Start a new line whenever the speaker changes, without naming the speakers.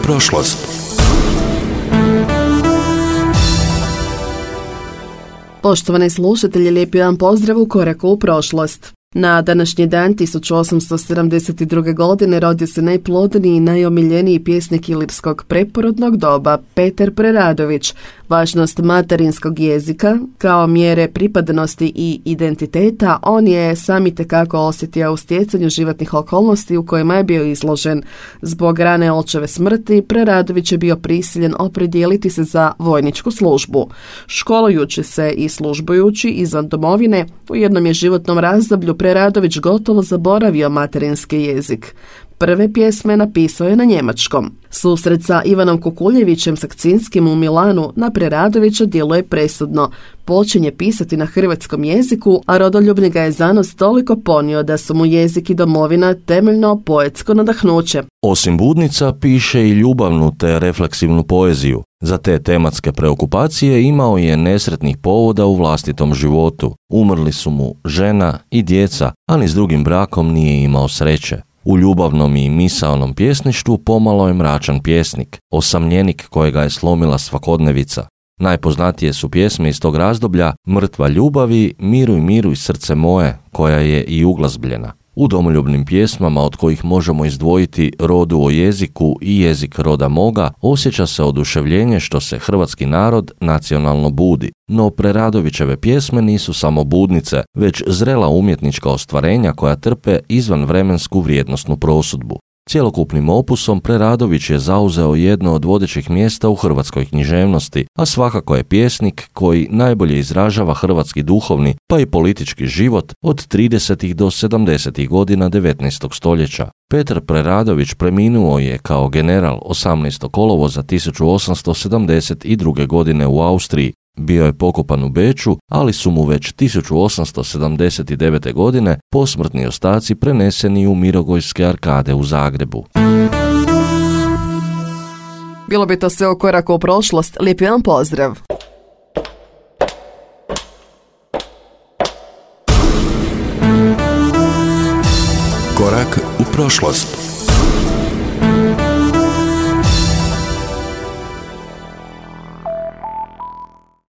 prošlost.
Poštovani slušatelji, lijepi vam pozdrav u Koraku u prošlost. Na današnji dan 1872. godine rodio se najplodniji i najomiljeniji pjesnik ilirskog preporodnog doba, Petar Preradović. Važnost materinskog jezika kao mjere pripadnosti i identiteta on je sam itekako osjetio u stjecanju životnih okolnosti u kojima je bio izložen. Zbog rane očeve smrti Preradović je bio prisiljen opredijeliti se za vojničku službu. Školujući se i službujući izvan domovine, u jednom je životnom razdoblju Preradović gotovo zaboravio materinski jezik. Prve pjesme napisao je na njemačkom. Susret sa Ivanom Kukuljevićem Sakcinskim u Milanu na Preradovića djeluje presudno. Počinje pisati na hrvatskom jeziku, a rodoljubni ga je zanos toliko ponio da su mu jezik i domovina temeljno poetsko nadahnuće.
Osim Budnica, piše i ljubavnu te refleksivnu poeziju. Za te tematske preokupacije imao je nesretnih povoda u vlastitom životu. Umrli su mu žena i djeca, a ni s drugim brakom nije imao sreće. U ljubavnom i misaonom pjesništvu pomalo je mračan pjesnik, osamljenik kojega je slomila svakodnevica. Najpoznatije su pjesme iz tog razdoblja Mrtva ljubavi, Miruj, miruj srce moje, koja je i uglazbljena. U domoljubnim pjesmama, od kojih možemo izdvojiti Rodu o jeziku i Jezik roda moga, osjeća se oduševljenje što se hrvatski narod nacionalno budi. No Preradovićeve pjesme nisu samo budnice, već zrela umjetnička ostvarenja koja trpe izvanvremensku vrijednosnu prosudbu. Cjelokupnim opusom Preradović je zauzeo jedno od vodećih mjesta u hrvatskoj književnosti, a svakako je pjesnik koji najbolje izražava hrvatski duhovni pa i politički život od 30. do 70. godina 19. stoljeća. Petar Preradović preminuo je kao general 18. kolovoza 1872. godine u Austriji. Bio je pokopan u Beču, ali su mu već 1879. godine posmrtni ostaci preneseni u Mirogojske arkade u Zagrebu.
Bilo bi to sve u Koraku u prošlost. Lijepi vam pozdrav.
Korak u prošlost.